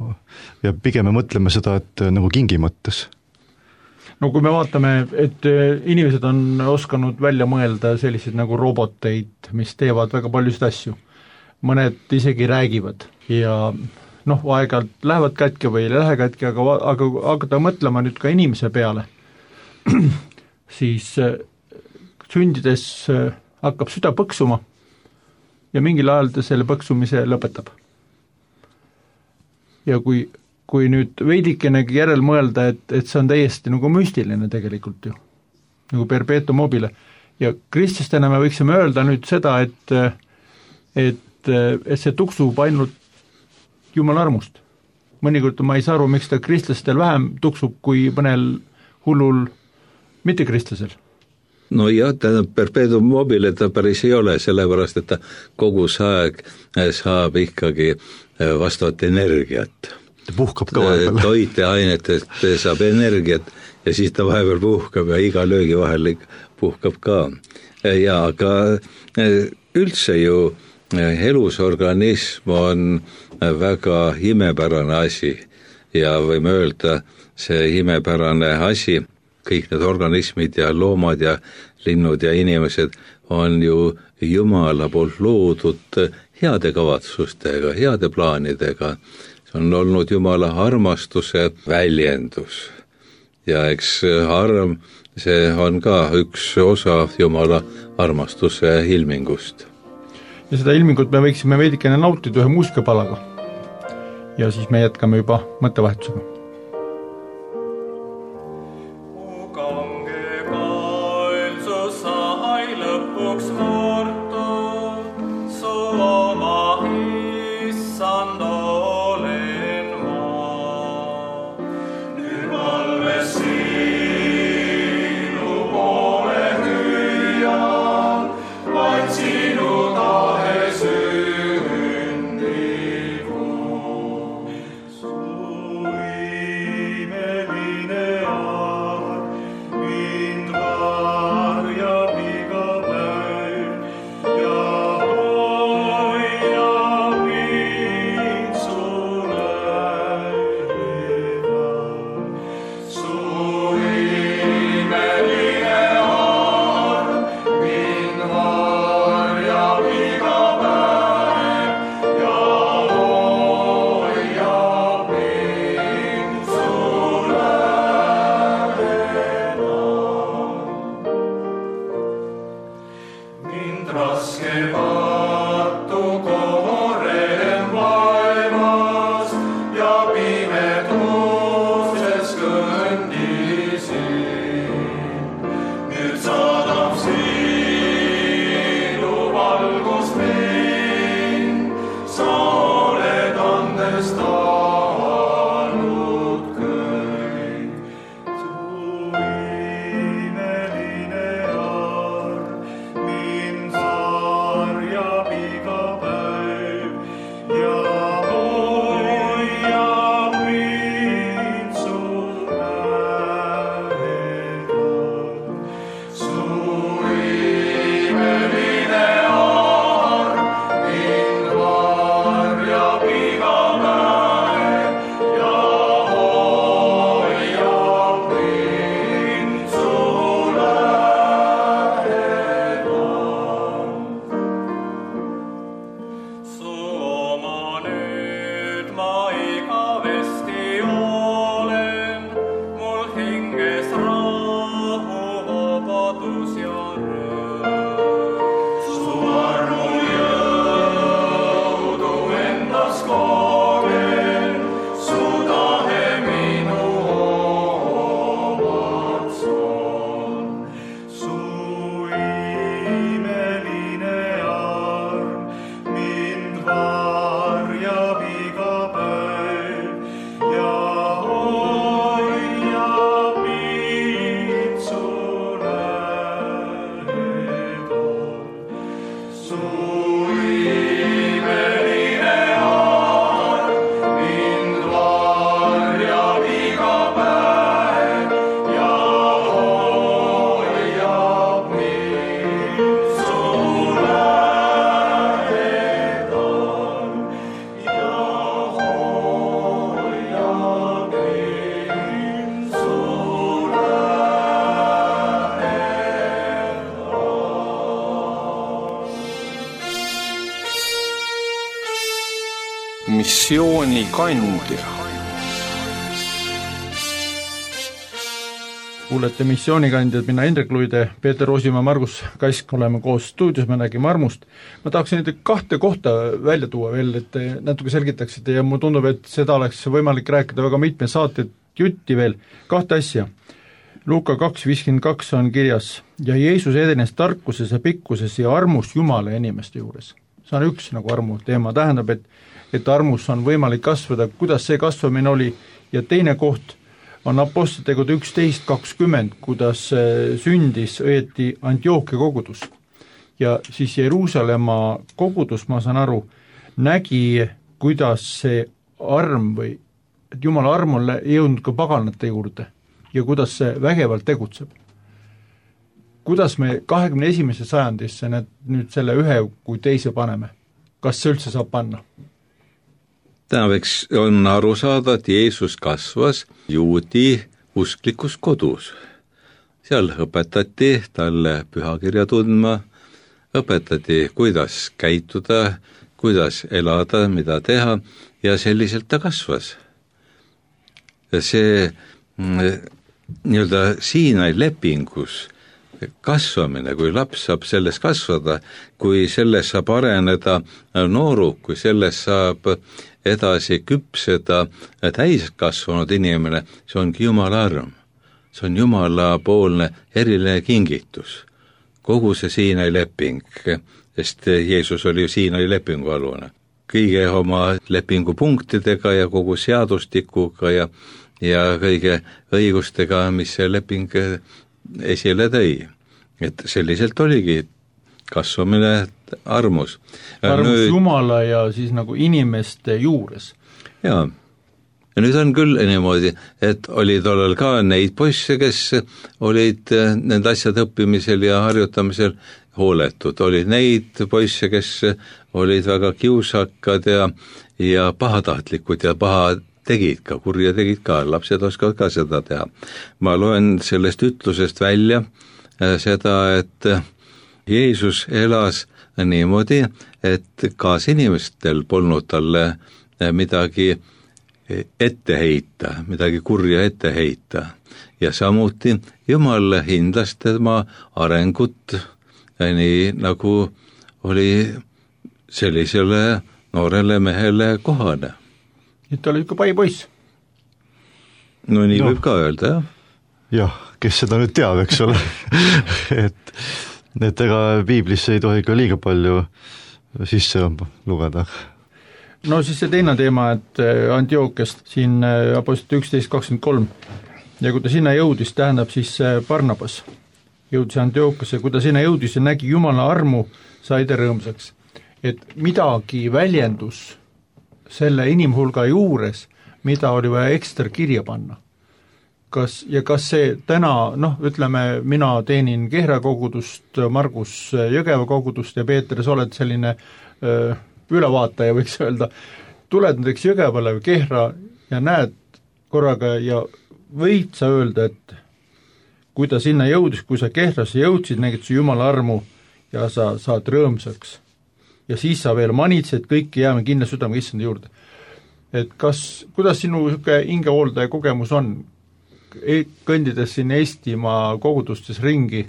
ja pigem me mõtleme seda, et nagu kingi mõttes. No kui me vaatame, et inimesed on oskanud välja mõelda selliseid nagu roboteid, mis teevad väga paljusid asju. Mõned isegi räägivad ja aeg-ajalt lähevad kätke või ei lähe kätke, aga hakata mõtlema nüüd ka inimese peale, siis sündides hakkab süda põksuma ja mingil ajal ta selle põksumise lõpetab. Ja kui nüüd veidikenegi järel mõelda, et see on täiesti nagu müstiline tegelikult ju, nagu perpetuum mobile. Ja kristlastena me võiksime öelda nüüd seda, et see tuksub ainult Jumala armust. Mõnikord ma ei saa aru, miks ta kristlastel vähem tuksub kui mõnel hullul mitte kristlasel. No jah, perpetuum mobile ta päris ei ole, sellepärast, et ta kogu aeg saab ikkagi vastavat energiat. Ta puhkab ka vahepeal. Toiteainetest saab energiat ja siis ta vahepeal puhkab ja iga löögi vahel puhkab ka. Ja aga üldse ju elusorganism on väga imepärane asi ja võime öelda, see imepärane asi, kõik need organismid ja loomad ja linnud ja inimesed on ju Jumala poolt loodud heade kavatsustega, heade plaanidega. See on olnud Jumala armastuse väljendus. ja eks arm, see on ka üks osa Jumala armastuse ilmingust. Ja seda ilmingut me võiksime veidikene nautida ühe muusikapalaga. Ja siis me jätkame juba mõttevahetusega. Missioonikandja. Kuulete missioonikandjad, mina Indrek Luide, Peeter Roosimaa, Margus Kask, oleme koos stuudios, me nägime armust. Ma tahaksin nüüd 2 kohta välja tuua veel, et natuke selgitaksite ja mulle tundub, et seda oleks võimalik rääkida väga mitme saated jutti veel. 2 asja. Luuka 2.52 on kirjas ja Jeesus edenes tarkuses ja pikkuses ja armus Jumala ja inimeste juures. See on üks nagu armu teema, tähendab, et armus on võimalik kasvada, kuidas see kasvamine oli, ja teine koht on Apostlitegude 11.20, kuidas sündis õieti Antiochia kogudus. Ja siis Jeruusalemma kogudus, ma saan aru, nägi, kuidas see arm või et Jumala arm on jõudnud ka paganate juurde ja kuidas see vägevalt tegutseb. Kuidas me 21. sajandisse nüüd selle ühe kui teise paneme? Kas see üldse saab panna? Tähendaks on aru saada, et Jeesus kasvas juudi usklikus kodus. Seal õpetati talle pühakirja tundma, õpetati, kuidas käituda, kuidas elada, mida teha, ja selliselt ta kasvas. Ja see nii-öelda Siinai lepingus kasvamine, kui laps saab selles kasvada, kui selles saab areneda nooruk, kui selles saab edasi küpseda täiskasvanud inimene, see ongi Jumala arm. See on Jumala poolne eriline kingitus. Kogu see Siinai leping, sest Jeesus oli ju Siinai lepingu alune. Kõige oma lepingupunktidega ja kogu seadustikuga ja kõige õigustega, mis see leping esile tõi. Et selliselt oligi kasvamine armus. Armus Jumala ja siis nagu inimeste juures. Jaa. Ja nüüd on küll niimoodi, et oli tollal ka neid poisse, kes olid nende asjad õppimisel ja harjutamisel hooletud. Oli neid poisse, kes olid väga kiusakad ja pahatahtlikud ja paha tegid ka, kurja tegid ka, lapsed oskavad ka seda teha. Ma loen sellest ütlusest välja seda, et Jeesus elas niimoodi, et kaasinimestel polnud talle midagi ette heita, midagi kurja ette heita. Ja samuti Jumal hindas tema arengut nii nagu oli sellisele noorele mehele kohane. Nüüd ta oli ikka pai poiss. No nii võib ka öelda, jah. Jah, kes seda nüüd teab, eks ole. et ega piiblisse ei tohi ka liiga palju sisse lugeda. No siis see teine teema, et Antiochiast siin Apostlite 11.23 ja kui ta sinna jõudis, tähendab siis Barnabas jõudis Antiochiasse, kui ta sinna jõudis ja nägi Jumala armu, sai ta rõõmsaks. Et midagi väljendus selle inimhulga juures, mida oli vaja ekstra kirja panna. Kas see täna, ütleme, mina teenin Kehra kogudust, Margus Jõgeva kogudust ja Peeter, sa oled selline ülevaataja, võiks öelda, tuled näiteks Jõgevale või Kehra ja näed korraga ja võid sa öelda, et kui ta sinna jõudis, kui sa Kehrasse jõudsid, nägid sa Jumala armu ja sa saad rõõmsaks. Ja siis sa veel manitsed, kõiki jääme kindla südame issanda juurde. Et kuidas sinu hingehooldaja kogemus on, kõndides siin Eestimaa kogudustes ringi?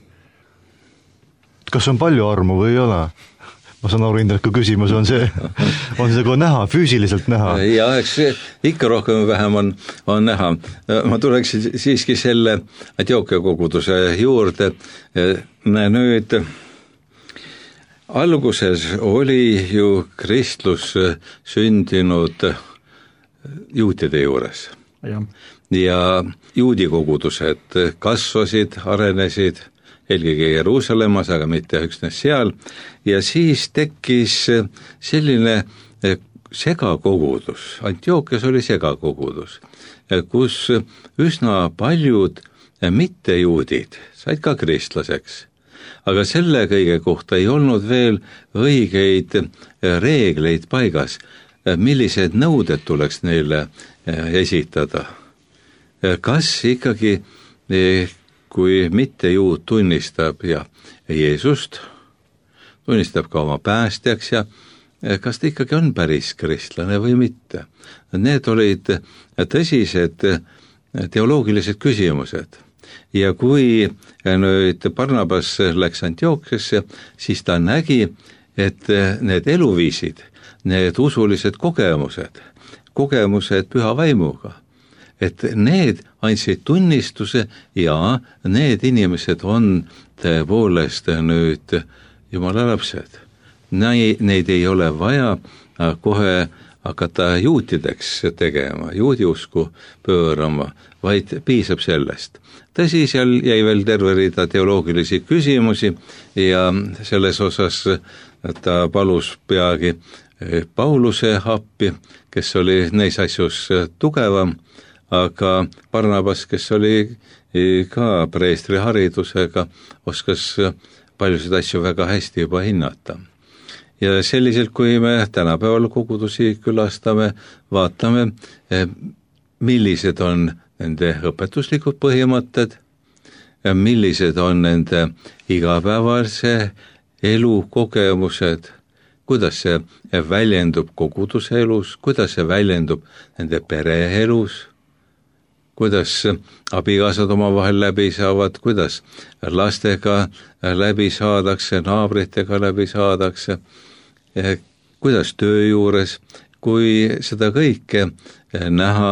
Kas on palju armu või ei ole? Ma saan aru, Indrek, küsimus on see ka näha, füüsiliselt näha? Ja, eks ikka rohkem või vähem on näha. Ma tuleks siiski selle Antiochia koguduse juurde. Nüüd alguses oli ju kristlus sündinud juutide juures. Ja juudi kogudused kasvasid, arenesid, eelkõige Jeruusalemmas, aga mitte üksnes seal, ja siis tekkis selline segakogudus, Antiochias oli segakogudus, kus üsna paljud mittejuudid said ka kristlaseks. Aga selle kõige kohta ei olnud veel õigeid reegleid paigas, millised nõuded tuleks neile esitada. Kas ikkagi, kui mittejuud tunnistab ja Jeesust, tunnistab ka oma päästjaks ja kas ta ikkagi on päris kristlane või mitte? Need olid tõsised teoloogilised küsimused. Ja kui nüüd Barnabas läks Antiochiasse, siis ta nägi, et need eluviisid, need usulised kogemused püha vaimuga, et need andsid tunnistuse ja need inimesed on tõepoolest nüüd Jumala lapsed. Neid ei ole vaja kohe hakata juutideks tegema, juudiusku pöörama, vaid piisab sellest. Tõsi, seal jäi veel terve rida teoloogilisi küsimusi ja selles osas ta palus peagi Pauluse appi, kes oli neis asjus tugevam, aga Barnabas, kes oli ka preestri haridusega, oskas paljusid asju väga hästi juba hinnata. Ja selliselt, kui me tänapäeval kogudusi külastame, vaatame, millised on nende õpetuslikud põhimõtted, millised on nende igapäevase elu kogemused, kuidas see väljendub koguduse elus, kuidas see väljendub nende pereelus, kuidas abikaasad omavahel läbi saavad, kuidas lastega läbi saadakse, naabritega läbi saadakse, kuidas töö juures, kui seda kõike näha,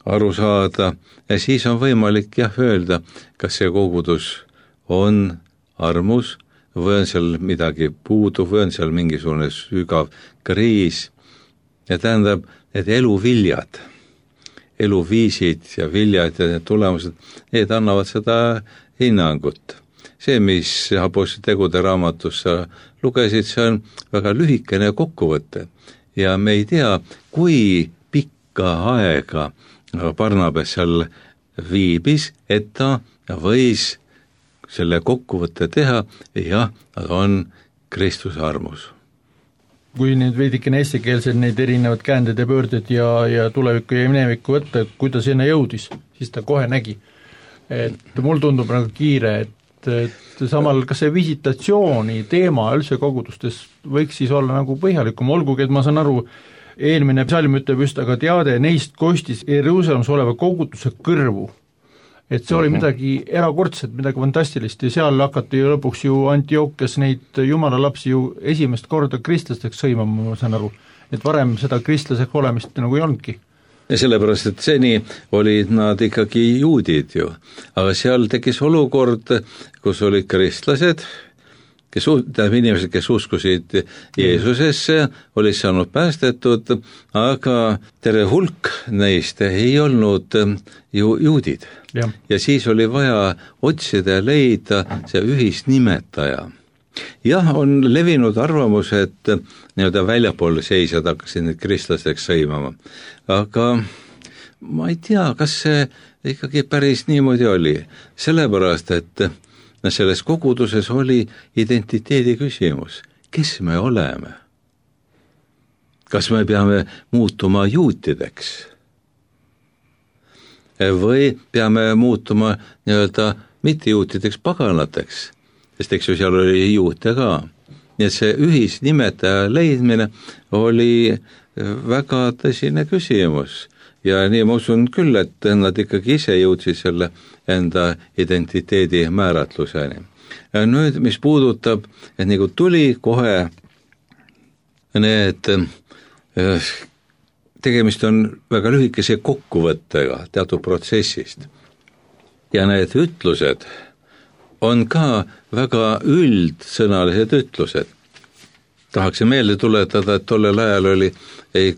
aru saada, ja siis on võimalik öelda, kas see kogudus on armus või on seal midagi puudu või on seal mingisugune sügav kriis. Ja tähendab, et eluviljad, eluviisid ja viljad ja need tulemused, need annavad seda hinnangut. See, mis Apostlite tegude raamatus sa lugesid, see on väga lühikene kokkuvõte ja me ei tea, kui pikka aega Barnabas seal viibis, et ta võis selle kokkuvõtte teha, jah, on Kristuse armus. Kui nüüd veidikene eestikeelsed neid erinevad käänded ja pöörded ja tulevikku ja minevikku võtta, et kui ta sinna jõudis, siis ta kohe nägi. Et mul tundub nagu kiire, et samal kas see visitatsiooni teema üldse kogudustes võiks siis olla nagu põhjalikum, olgugi, et ma saan aru, eelmine psalm ütleb just, aga teade neist kostis Jeruusalemmas oleva koguduse kõrvu. Et see oli midagi erakordset, midagi fantastilist ja seal hakati lõpuks ju Antiochias neid jumala lapsi ju esimest korda kristlasteks sõimama, ma saan aru. Et varem seda kristlaseks olemist nagu ei olnudki. Ja sellepärast, et seni olid nad ikkagi juudid ju, aga seal tekkis olukord, kus olid kristlased, inimesed, kes uskusid Jeesusesse, olid saanud päästetud, aga terve hulk neist ei olnud ju juudid. Ja siis oli vaja otsida ja leida see ühisnimetaja. Jah, on levinud arvamus, et nii-öelda väljapool seisjad hakkasid need kristlasteks sõimama, aga ma ei tea, kas see ikkagi päris niimoodi oli, sellepärast, et selles koguduses oli identiteedi küsimus, kes me oleme? Kas me peame muutuma juutideks? Või peame muutuma nii-öelda mittejuutideks paganateks, sest eks ju seal oli juute ka. Nii et see ühisnimetaja leidmine oli väga tõsine küsimus ja nii ma usun küll, et nad ikkagi ise jõudsid selle enda identiteedi määratluseni. Ja nüüd, mis puudutab, et nagu tuli kohe need tegemist on väga lühikese kokkuvõttega teatud protsessist. Ja need ütlused on ka väga üldsõnalised ütlused. Tahaksin meelde tuletada, et tollel ajal oli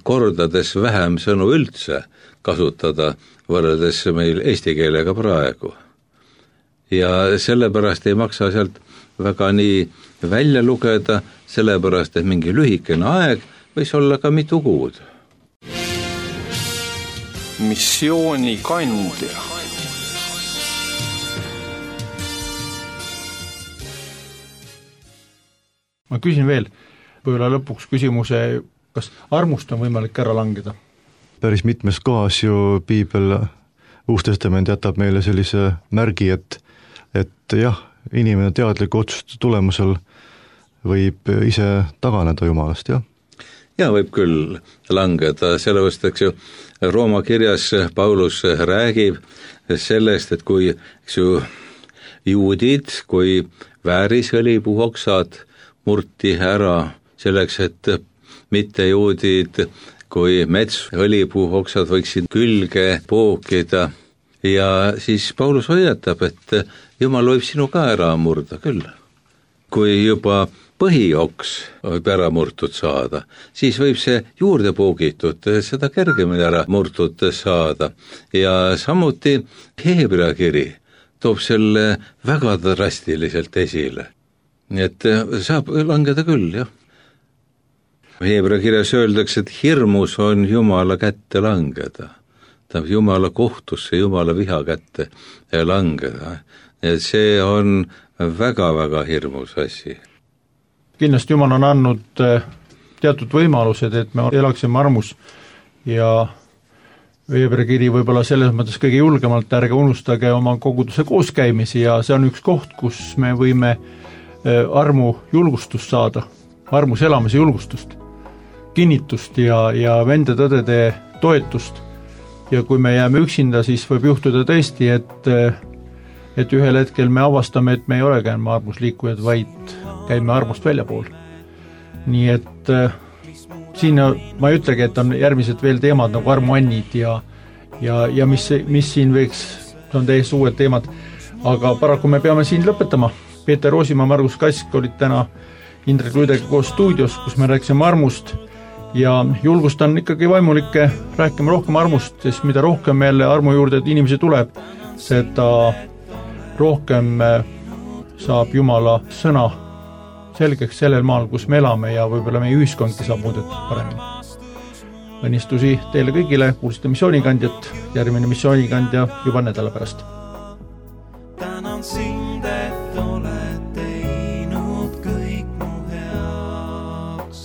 kordades vähem sõnu üldse kasutada võrreldes meil eesti keelega praegu. Ja sellepärast ei maksa sealt väga nii välja lugeda, sellepärast, et mingi lühikene aeg võis olla ka mitu kuud. Missioonikandja. Ma küsin veel, võib-olla lõpuks küsimuse, kas armust on võimalik ära langeda? Päris mitmes kohas ju piibel, Uus Testament jätab meile sellise märgi, et jah, inimene teadliku otsuste tulemusel võib ise taganeda Jumalast, jah? Ja võib küll langeda, sellepärast, eks ju, Rooma kirjas Paulus räägib sellest, et kui juudid, kui väärisõlipuhoksad murti ära selleks, et mitte juudid, kui metsõlipuhoksad võiksid külge pookida ja siis Paulus hoiatab, et Jumal võib sinu ka ära murda küll. Kui juba põhioks võib ära murtud saada, siis võib see juurde poogitud, seda kergemini ära murtud saada. Ja samuti Heebrea kiri toob selle väga drastiliselt esile. Nii et saab langeda küll, jah. Heebrea kirjas öeldakse, et hirmus on Jumala kätte langeda. Ta Jumala kohtusse, Jumala viha kätte langeda. Et see on väga-väga hirmus asi. Kindlasti Jumal on andnud teatud võimalused, et me elaksime armus ja Heebrea kiri võib-olla selles mõttes kõige julgemalt, ärge unustage oma koguduse kooskäimisi ja see on üks koht, kus me võime armu julgustust saada, armus elamise julgustust, kinnitust ja vende tõdede toetust ja kui me jääme üksinda, siis võib juhtuda tõesti, et ühel hetkel me avastame, et me ei olegi enam armusliikujad, vaid käime armust väljapool. Nii et siin ma ei ütlegi, et on järgmised veel teemad nagu armuannid ja mis siin võiks, see on täiesti uued teemad, aga paraku me peame siin lõpetama. Peeter Roosimaa, Margus Kask olid täna Indrek Luidega koos stuudios, kus me rääkisime armust ja julgustan ikkagi vaimulikke rääkima rohkem armust, sest mida rohkem jälle armu juurde inimesi tuleb, seda rohkem saab Jumala sõna selgeks sellel maal, kus me elame ja võib-olla meie ühiskondki saab muudetud paremini. Õnnistusi teile kõigile, kuulsite missioonikandjat, järgmine missioonikandja juba nädala pärast. Tänan sind, et oled teinud kõik mu heaks.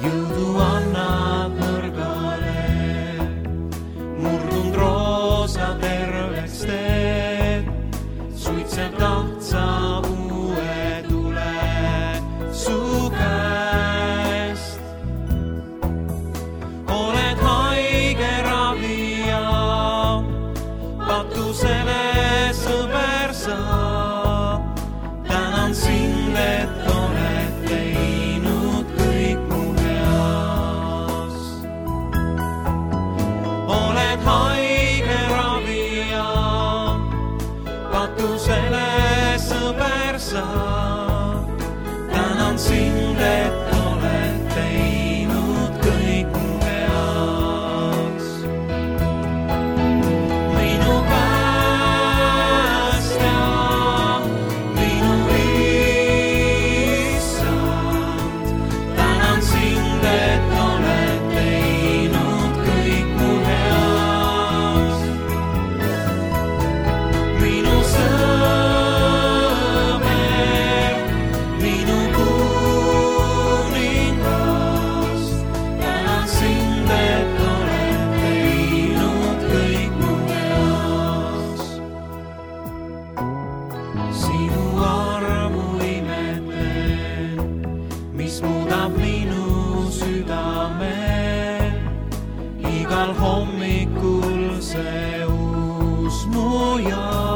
Jõudu annad nõrgale, murdunud roosa terveks teed, suitseb tahtsa uue tule su käest. Oled haige ravija, patusele sõber sa. Tänan sind, et oled teinud kõik mu heaks. Oled haige ravija, patusele sõber sa. Tänan sind, et oled teinud kõik mu heaks. Minu päästja, minu issand, tänan sind, et oled teinud kõik mu heaks. Minu sõber, minu kuningas, tänan sind, et oled teinud kõik mu heaks. Sinu armu imetlen, mis muudab minu südame. Igal hommikul see uus mu ja